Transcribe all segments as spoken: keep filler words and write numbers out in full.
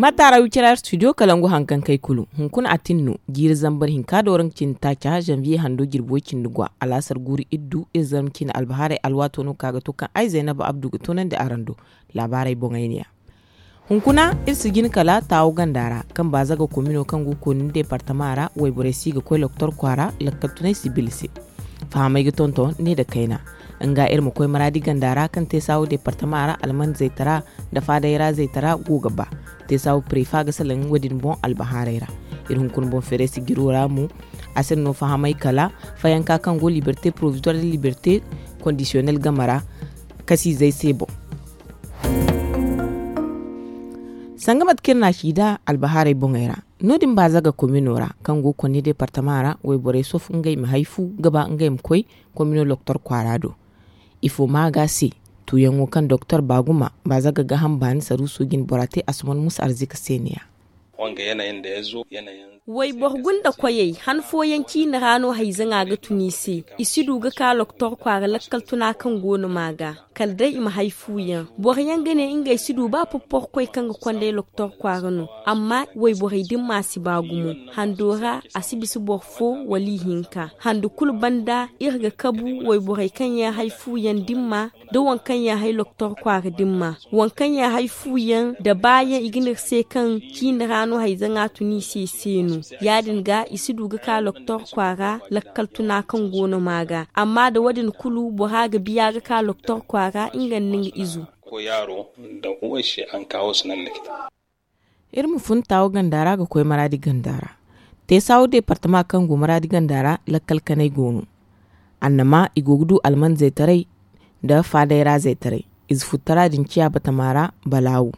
Fatta ra wicira studio kalangu hankankey kulu hunkuna a tin no. Jiiri zambar hinka do ra nga cindi taaca zanviye hando jirbi way cindi gwa alaasar guuru iddu iri zarma cindi albahaarey alwaato no ka ga to kaŋ ay zaynaba abdu ga toonandi araŋ do. Laabaarey boŋey ne ya. Hunkuna iri si jin kala taawo ganda ra kaŋ baazaga komino kaŋ go kooni deepartama ra wayborey si ga koy loktor kwaara lakkal tunay sibil se. Fahamey ga tonton ne nda kayna. Nga iri ma koy maraadi ganda ra kaŋ te saawo deepartama ra alman zaytara nda faadayra zaytara go ga ba. Te saawo prefa ga salaŋ wo- din boŋ albahaarey ra. Iri hunkuna boŋ feere si jiro ra mo. A si no fahamey kala fayanka kaŋ go liberte provisoire nda liberte kondisiyonel game ra kasiizey se boŋ. Sanga mate kaŋ iri na a ci nd'a albahaarey boŋey ra, no- din baazaga komino ra kaŋ go konne deepartama ra wayborey sofu ngey ma hay fu ga ba ngey ma koy komino loktor kwaara do. Ifo maaga se tuuyaŋo kaŋ doktor baaguma baazaga gaaham baani saruuso jine bora te asuman musa arzika se ne ya. Wayboro gunda koyey han fooyaŋ ciine ra no hayzaŋa ga tun i se. I si du ga ka loktor kwaara lakkal tuna kaŋ go no maaga kala day i ma hay fuuyaŋ. Boro yaŋ ga ne ngey si du ba popporkoy kaŋ ga konday loktor kwaara no. Amma wayborey dimma si ba gumo hando ra a si bisa boro fo wala ihinka hando kulu banda iri ga kabu wayborey kaŋ yaŋ hay fuuyaŋ dimma da waŋ kaŋ yaŋ hay loktor kwaara dimma. Waŋ kaŋ yaŋ hay fuuyaŋ da baayaŋ i ga ne iri se kaŋ ciine ra no hayzaŋa tun i se se no. Ya- din ga i si du ga ka loktor kwaara lakkal tuna kaŋ go no maaga amma da wo- din kulu bora ga biya ga ka loktor kwaara nga nda nga izo. Iri ma fun taawo ganda ra ga koy maraadi ganda ra. Te saawo deepartama kaŋ go maraadi ganda ra lakkal kanay go no. Annama i go ga du alman zaytaray nda faadayra zaytaray. Ize futtara din ciya batama ra balaawu.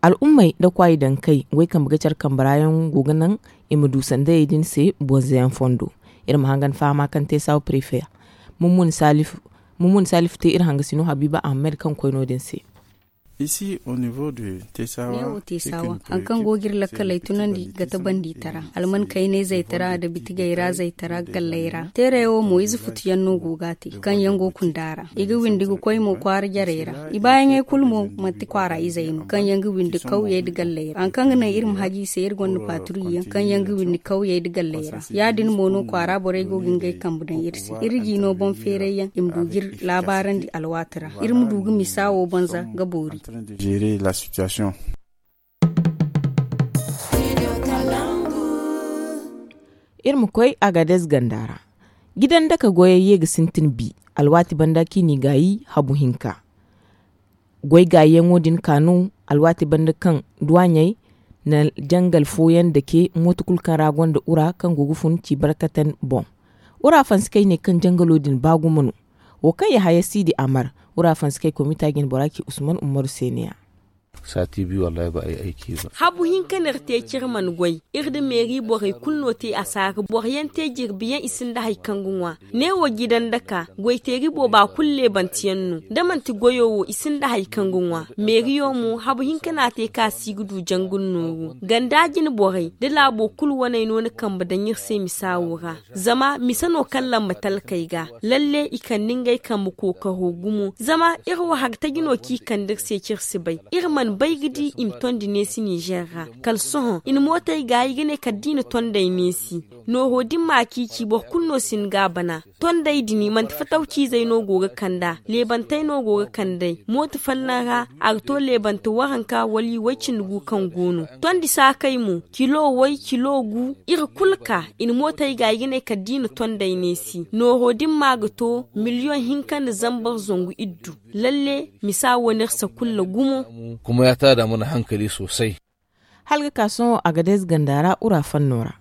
Al'ummey nda kwaayi daŋ kay way kambe ga care kambe ra yaŋ go ga naŋ i ma du sandayey din se bonza yaŋ fondo. Iri ma hangan fahama kaŋ te saawo prefe. Mummun salifu te iri hangasino habiiba ahamed kaŋ koy no- din se. Neewo te saawa hari kaŋ go ga iri lakkaley tunandi ga ta bandi tara alman kayney zaytara nda bitigey ra zaytara galley ra teerey wo mo ize futuyaŋ no go ga a te kaŋ yaŋ go kunda ra. I ga windi ga koy mo kwaara jarey ra. I baayaŋey kulu mo manti kwaara izey no kaŋ yaŋ ga windi kawyey nda galley ra hari kaŋ ga naŋ iri ma haji i se iri gonda paaturiyaŋ kaŋ yaŋ ga windi kawyey nda galley ra. Ya- din mo no kwaara borey go ga ngey kambe daŋ iri se iri ga i no boŋ feeray yaŋ i ma du ga iri laabaarandi alwaati ra iri ma du ga misa wo banza ga boori. Iri ma koy agadez ganda ra. Gidan daka goyey ye ga sintin bi alwaati banda kaŋ i n'i gaayi habu hinka. Goy gaayiyaŋo din ka no alwaati banda kaŋ duwaaɲey na jangal fooyaŋ dake mooto kulu kaŋ ra gonda ura kaŋ go ga fun ci barkatan boŋ. Ura fansi kay ne kaŋ jangalo din ba gumo no. Wo kaŋ yahaya siidi amar ura fansi kay komita jine bora ci usman umaru se ne ya. Saati bi wallahi ba ay ay ci ba. Habu hinka no iri te ci iri mana goy. Iri nda meeri borey kulu no te asaara boro yaŋ te jirbi yaŋ i sinda hari kaŋ ga ŋwa. Neewo jidan daka goyteeri booba kulu leebanteyaŋ no da manti goyo wo i sinda hari kaŋ ga ŋwa. Meeriyo mo habu hinka no a te kaŋ a si ga du jangu nda nooru ganda jine borey da laabo kulu waney no na kambe daŋ iri se misa wo ra. Zama mise no kaŋ lamba talkey ga lalle i kande ngey kambe kookaro gumo zama iri wo hari taji no kaŋ i kande iri se kaŋ iri si bay. Iri mana bay ga di i ma tondi neesi nizer ra. Kala sohõ i na mootey gaayi ga ne kala da i na tondey neesi. Nooro din ma ciici boro kulu no si hin ga a bana. Tondey din manti fatawciizey no go ga kand'a leebantey no go ga kand'ey mooto folloŋ ra. A ga to leebante waranka wala i way-cindi gu kaŋ go no. Tondi saakey mo kilo way kilo gu. Iri kulu ka i na mootey gaayi ga ne kala da i na tondey neesi nooro din ma ga to miliyoŋ hinka nda zambar zangu iddu. Lalle misa wo no iri sakulla gumo. Kuma ya taada mana hankali soosay. Hala ga ka sohõ agadez ganda ra ura fanno ra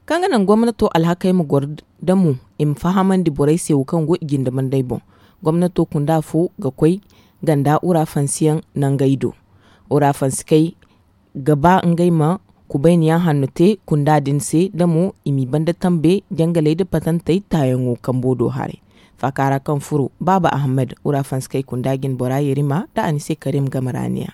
kaŋ ga naŋ gomnato alhakey ma goro damo i ma fahamandi borey se wo kaŋ go i jinde bandey boŋ. Gomnato kunda fo ga koy ganda ura fansiyaŋ nangey do. Ura fansikey ga ba ngey ma kubayniyaŋ hanno te kunda din se damo i m'i banda tambe jangaley nda patantey taayaŋo kambo do haray. Faaka ra kaŋ furo baaba ahamed ura fansikey kunda jine bora yerima nda a ni se karim game ra ne ya.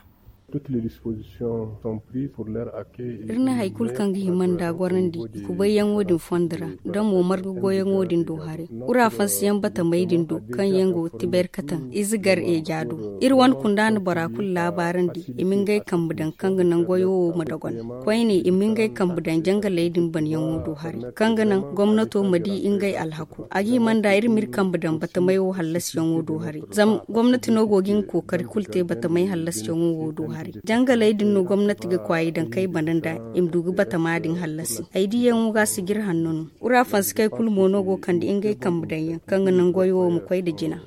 Iri na hari kulu kaŋ ga hima nd'a gorandi i kubayyaŋo din fondo ra, da mo marga goyyaŋo din do haray. Ura fansiyaŋ batamey din do kaŋ yaŋ go tibayri kataŋ ize gar eeja do. Iri wane kunda na bora kulu laabaarandi i ma ngey kambe daŋ kaŋ ga naŋ goyo wo ma dogon. Koyne i ma ngey kambe daŋ jangaley din banyaŋo do haray, kaŋ ga naŋ gomnato ma di ngey alhako. A ga hima nd'a iri m'iri kambe daŋ batamey wo hallasiyaŋo do haray, zama gomnati no go ga nga kookari kulu te batamey hallasiyaŋo wo do haray. Jangaley din no gomnati ga kwaay daŋ kay bana nd'a i ma du ga batama din hallasi. Ay diyaŋo ga si g'iri hanno no. Ura fansikey kulu mo no go kande ngey kambe daŋyaŋ kaŋ ga naŋ goyo wo ma koy nda jina.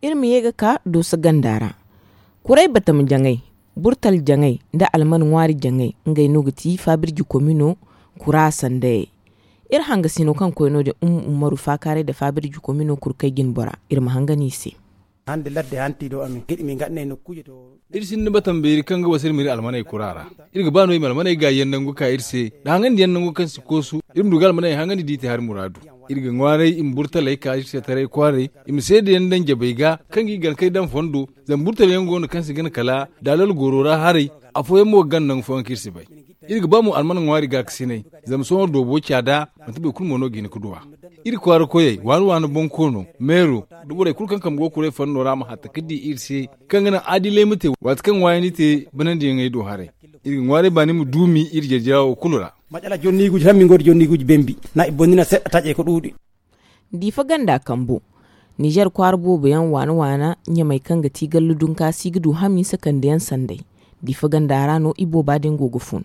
Iri ma ye ga ka dooso ganda ra. Kuray batama jaŋay, burtal jaŋay, nda alman ŋwaari jaŋay, ngey no ga ti faabirji komino kura sandayey. Iri hangasino kaŋ koy no- din umma ummaru faakaaray nda faabirji komino kurkay jine bora. Iri ma hangan i se. Iri sinda batama beeri kaŋ ga wasa iri ma iri almaney kura ra. Iri ga ba no i ma almaney gaayiyaŋ nangu ka iri se, nda hangandiyaŋ nangu kaŋ si koosu. Iri ma du ga almaney hangan i di i te hari muraadu. Iri ga ŋwaaray i ma burtaley ka iri se taray kwaaray, i ma seedayaŋ daŋ jabey ga kaŋ ga i gana kay daŋ fondo. Zama burtalyaŋ go no kaŋ si gana kala daalal gooro ra haray. Afooyaŋ mo ga gana nangu fooyaŋ kaŋ iri si bay. Iri ga ba mo alman ŋwaari gaakasinay, zama sohõ doobo caada, manti boro kulu mo no ga hin ga du a. Iri kwaara koyey waani waani bonkoono, meero, nda borey kulu kaŋ kambe go kuray fanno ra ma hatta ga di iri se, kaŋ ga naŋ aadilay ma te waati kaŋ ŋwaayandi te banandiyaŋey do haray. Iri ga ŋwaaray baani ma duumi iri jarjara wo kulu ra. Macala jonni guji hammi go da jonni guji bembi. Na i bonni na seɗɗa taje ka duudi. Diifa ganda kambo. Nizer kwaara boobo yaŋ waana waana ɲamay kaŋ ga ti gallu dunka si ga du hamiisa kande yaŋ sanday. Diifa ganda ra no i booba din go ga fun.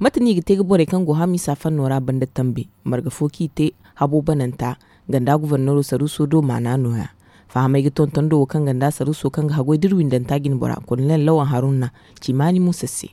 Mate no i ga te ga borey kaŋ go hamiisa fanno ra banda tambe? Marga fo kaŋ i te habo bananta ganda gufarnero saruuso do maana nooya. Fahamey ga tonton do wo kaŋ ganda saruuso kaŋ ga hagoy da iri windanta jine bora kolonel lawan haruna cimaani muusa se.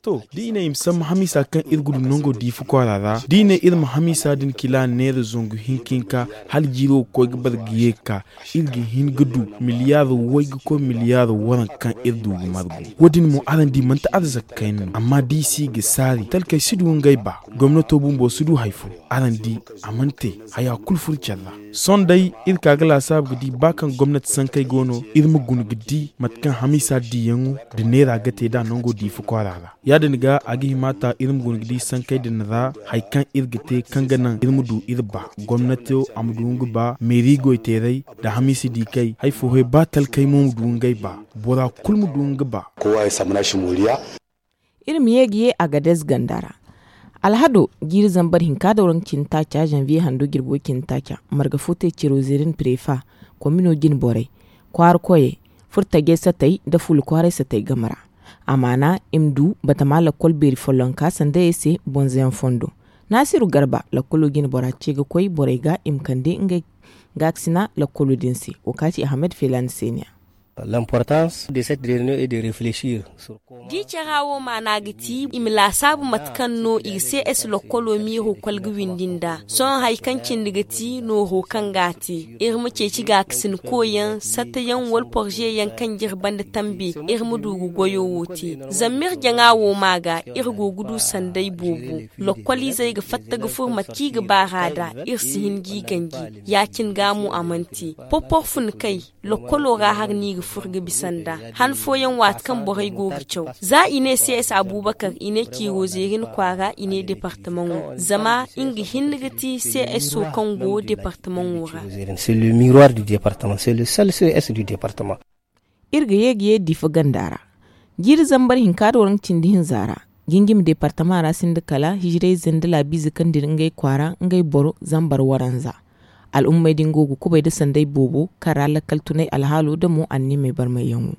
To, da i ne i ma sambu hamiisa kaŋ iri ga du nango diifa kwaara ra, da i ne iri ma hamiisa din kila neera zangu hinka hinka hala jiiro ga koy ga bare ga ye ga ka, iri ga hin ga du miliyaar way ga koy miliyaar waranka kaŋ iri du ga margu. Wo- din mo araŋ di manti arzaka kayna no amma da i si ga saari talkey si du ngey ba. Gomnato bumbo si du hari fo. Araŋ di, a mana te. Haya kulu furo care ra. Sohõ day, iri ka ga laasaabu ga di ba kaŋ gomnati sankey go no, iri ma guna ga di mate kaŋ hamiisa diyaŋo nda neera ga te nd'a nango diifa kwaara ra. Ya- din ga a ga hima ta iri ma guna ga di sankey din ra hari kaŋ iri ga te kaŋ ga naŋ iri ma du iri ba. Gomnato a ma du nga ba meeri goyteeray nda hamiisa diikey hari fo hay ba talkey mo ma du ngey ba. Bora kulu ma du nga ba. Kowa ya samu nashi moriya. Iri ma ye ga ye agadez ganda ra. Alhado jiiri zambar hinka da waranka cindi taaca zanviye hando jirbo cindi taaca marga fo te ciro zerin prefa komino jine borey, kwaara koyey, furo tajey satey nda fuula kwaaray satey game ra. A maana i ma du batama lakkol beeri follonka sandayey se bonzoyaŋ fondo. Naasiru garba lakkolo jine bora ce ga koy borey ga i ma kande ngey gaakasina lakkolo din se. Wo kaati ahmed feelaani seeniya. L'importance de cette réunion est de réfléchir sur. Da i cara wo maana ga ti i ma laasaabu mate kaŋ no i ga cs lokkolo miiro kwalga windi nd'a. Sohõ hari kaŋ cindi ga ti nooro kaŋ ga a te iri ma ceeci gaakasin koyyaŋ sattayaŋ wala porzeyaŋ kaŋ jire banda tambe. Iri ma du ga goyo wo te zama iri jaŋa wo ma ga iri go ga du sanday boobo. Lokkoliizey ga fatta ga furo mate kaŋ i ga baar'a nd'a. Iri si hin g'i ganji ya- cine ga mo a mana te porpor fun kay. Lokkolo ra hari no i ga furo ga bisa nd'a han fooyaŋ waati kaŋ borey go ga caw. Za i ne cs abubakar i ne ciiro zeerin kwaara i ne departamaŋo zama nga hinne ga ti cs kaŋ go departamaŋo ra. C'est le miroir du département c'est le seul cs du département. Iri ga ye ga ye diifa ganda ra. Jiiri zambar hinka da waranka cindi hinza ra, jinjimi departama ra sinda kala hijirayze nda laabiize kaŋ dira ngey kwaara ngey boro zambar waranza. Al'ummey din go ga kubay nda sanday boobo kaŋ ra lakkal tunay alhaalo nda mo anniimey barmayyaŋo.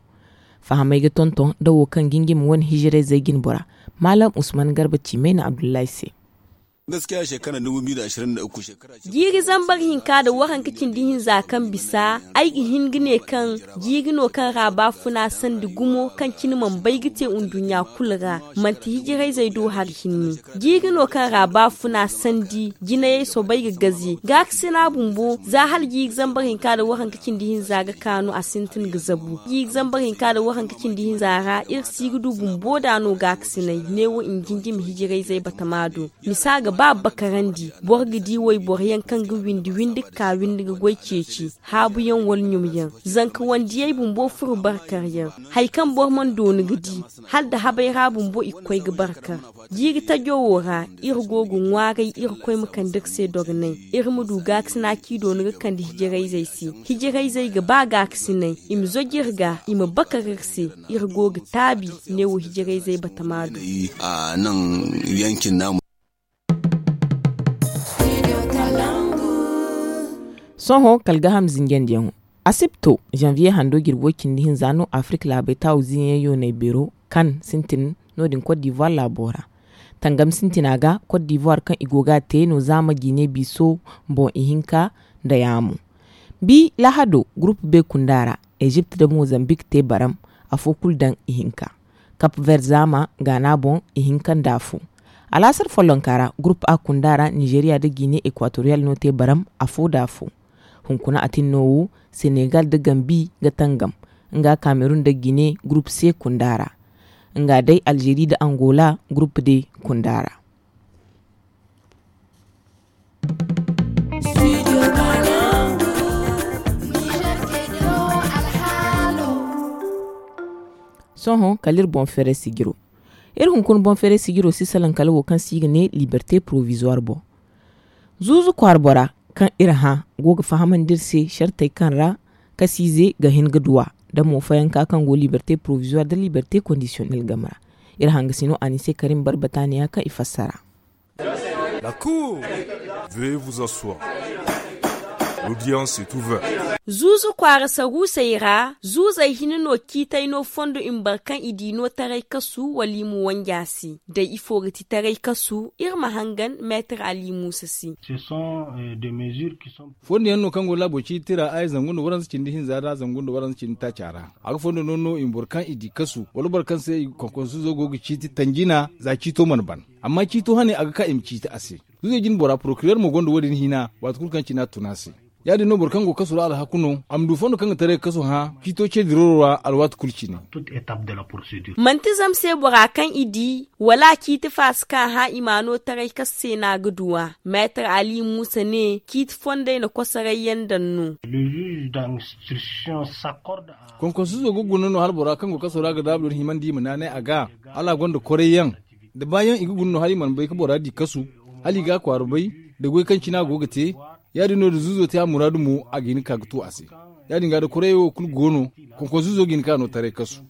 Fahamey ga tonton nda wo kaŋ jinjimi wane hijirayzey jine bora. Maalam usman garba ciimay na abdullahi se. Jiiri zambar hinka nda waranka cindi hinza kaŋ bisa, ay ga hin ga ne kaŋ jiiri no kaŋ ra baafuna sandi gumo kaŋ cine mana bay ga te nduɲɲa kulu ra. Manti hijirayzey do hari hinne. Jiiri no kaŋ ra baafuna sandi jinayey soobay ga gaze gaakasina bumbo za hala jiiri zambar hinka nda waranka cindi hinza ga ka no a sintin ga zabu. Jiiri zambar hinka nda waranka cindi hinza ra iri si ga du bumbo nd'a no gaakasinay neewo i ma jinjimi hijirayzey batama do. Misa ga Ba bakarandi boro ga di wayboro yaŋ kaŋ ga windi windi ga ka windi ga goy ceeci, haabu yaŋ wala ɲum yaŋ, zanka wandiyey bumbo furo barkar yaŋ. Hari kaŋ boro mana doonu ga di, hala nda habay ra bumbo i ga koy ga barkar. Jiiri tajo wo ra, iri go ga ŋwaaray irkoy ma kande iri se dogonay, iri ma du gaakasina kaŋ i doonu ga kande hijirayzey se. Hijirayzey ga ba gaakasinay, i ma zoj iri ga, i ma bakar iri se. Iri go ga taabi neewo hijirayzey batama do. Sohõ kala gaham zinjandiyaŋo, asibto, janvier hando jirbi way cindi hinza no afirka laabey taawu ziiyaŋ yoonay beero kan sintin no- din kot divuwar laabo ra. Tangam sintina ga kot divuwar kaŋ i go ga a te no zaama jiine biiso boŋ ihinka nda yaamo. Bi lahado gurupu be kunda ra, ezipt nda mozambik te baram, afo kulu daŋ ihinka. Kap ver zaama gaana boŋ, ihinka nda afo. Alaasar follonka ra, gurupu a kunda ra nizeriya nda jiine ekwatoriyal no te baram, afo nda afo. Hunkuna atinno wo, senegal nda gambi ga tangam, nga kamerun nda jiine gurupu se kunda ra. Nga day alzeri nda angola gurupu de kunda ra. Sohõ kala iri boŋ feeray sijiro. Iri hunkuna boŋ feeray sijiro si salaŋ kala wo kaŋ se i ga ne liberte porovizuwar boŋ. Zuuzu kwaara bora kaŋ iri hã go ga fahamandi iri se sartey kaŋ ra kasiize ga hin ga duw'a, nda mo fayanka kaŋ go liberte porovizuwar nda liberte kondisiyonel game ra. Iri hangasino anise karim barbataaniya kaŋ i fassara. La cour, veuillez vous asseoir. L'audience est ouverte. Zuuzu kwaara saruusey ra zuuzey hina no ciitay no fondo i ma boro kaŋ i di no taray kasu wala i ma wanji a se. Day ifo ga ti taray kasu, iri ma hangan meetar ali muusa se. Fondo yaŋ no kaŋ go laabo ciiti ra ay zangu nda waranza cindi hinza ra zangu nda waranza cindi taaca ra. A ga fondo no no i ma boro kaŋ i di kasu wala boro kaŋ se i ga konkonsu zo go ga ciiti tanjina za ciito mana ban. Amma ciito hane a ga ka i ma ciiti a se. Zuuzey jine bora porokirer mo gonda wo- din hina waati kulu kaŋ cina tun a se. Ya- din no boro kaŋ go kasu ra alhaku no a ma du fondo kaŋ ga taray ga kasu hã ciito ce diro ra alwaati kulu cine. Manti zama se bora kaŋ i di wala a ciiti faasi kaŋ a hã i ma no taray kasu se no a ga du a. Meetar ali muusa ne ciiti fondey na kosoray yaŋ daŋ no. Konkonsu zo ga guna no hala bora kaŋ go kasu ra ga daabu din himandi i ma naanay a ga hala a gonda koray yaŋ da baayaŋ i ga guna no hala i mana bay ga bora di kasu hala i ga a kwaara bay da goy kaŋ cina a go ga te. Ya- din no da zuuzo te a muraadu mo a ga hin ga ka ga tu a se. Ya- din ga da koray wo kulu go no. Konkonsu zo ga hin ka no taray kasu.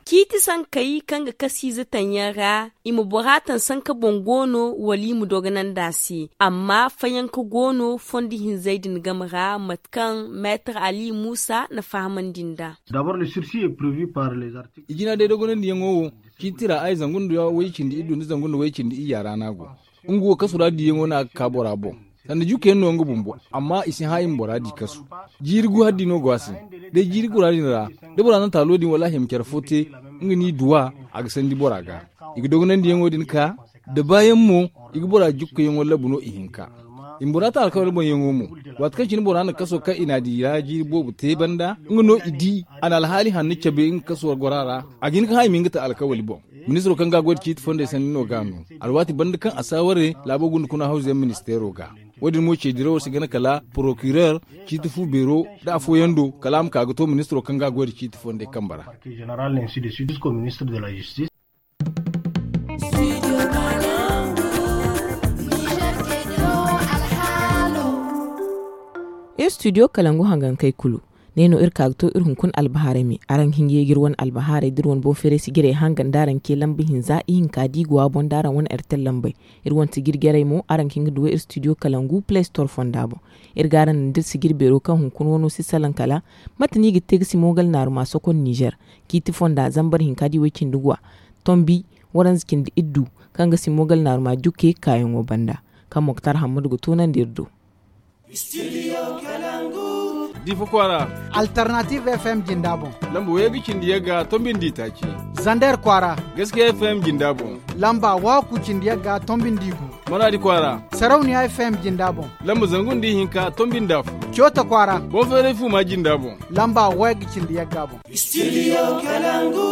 Ciiti sankey kaŋ ga kasiize taŋ yaŋ ra i ma bora taŋ sanka boŋ go no wala i ma dogonandi a se. Amma fayanka go no fondo hinzey din game ra mate kaŋ meetar ali muusa na fahamandi nd'a. I jina day dogonandiyaŋo wo ciiti ra ay zangu nda way cindi iddu nda zangu nda way cindi iyya ra no a go. Nga wo kasu ra diyaŋo no a ga ka bora boŋ. Sanda jukke yaŋ no nga bumbo amma i si hã i ma bora di kasu. Jiiri gu hari di no go a se. Day jiiri gura din ra da bora na taalo din wala a hima care fo te nga n'i duw'a a ga sandi bora ga. I ga dogonandiyaŋo din ka da baayaŋ mo i ga bora jukkayaŋo labu no ihinka. I ma bora ta alkawari boŋyaŋo mo. Waati kaŋ cine bora na kaso kaŋ i n'a di ra jiiri boobo te banda nga no i di a na alhaali hanno cabe nga kaso gora ra. A ga hin ga hã i ma hin ga ta alkawali boŋ. Ministiro kaŋ ga a goy nda ciiti fondey sanni no ga a no. Alwaati banda kaŋ a saaware laabo gunda kuna hawzuyaŋ ministeero ga. Wo- din mo ce dirawo si gana kala porokirer ciiti fu beero nda afooyaŋ do kala a ma ka ga to ministiro kaŋ ga a goy nda ciiti fondey kambe ra. Iri studio kalangu hangankey kulu. Ne no iri ka ga to iri hunkuna albahaarey me araŋ ga hin ga ye ga iri wane albahaarey da iri wane boŋ feeray sijirey hangan da araŋ ce lamba hinza ihinka da i go a boŋ da araŋ wane ertel lambey. Iri wane sijir jarey mo araŋ ga hin ga duw'ey iri studio kalangu play store fonda boŋ. Iri ga araŋ naŋ da iri sijir beero kaŋ hunkuna wano si salaŋ kala mate no i ga te ga simogal naaruma sokon nizer, ciiti fonda zambar hinka da i way cindi guwa, tombi waranza cindi iddu, kaŋ ga simogal naaruma jukke kaayaŋo banda, kaŋ moktar hammadu ga toonandi iri do. Difa kwaara. Alternative fm jinda boŋ. Lamba waygu cindi yagga tombindi taaci. Zander kwaara. Gaskiya fm jinda boŋ. Lamba waaku cindi yagga tombindi gu. Maradi kwaara. Sarauniya fm jinda boŋ. Lamba zangu nda ihinka tombindi afo. Coota kwaara. Boŋ feeray fuma jinda boŋ. Lamba waygu cindi yagga boŋ. Studio kalangu.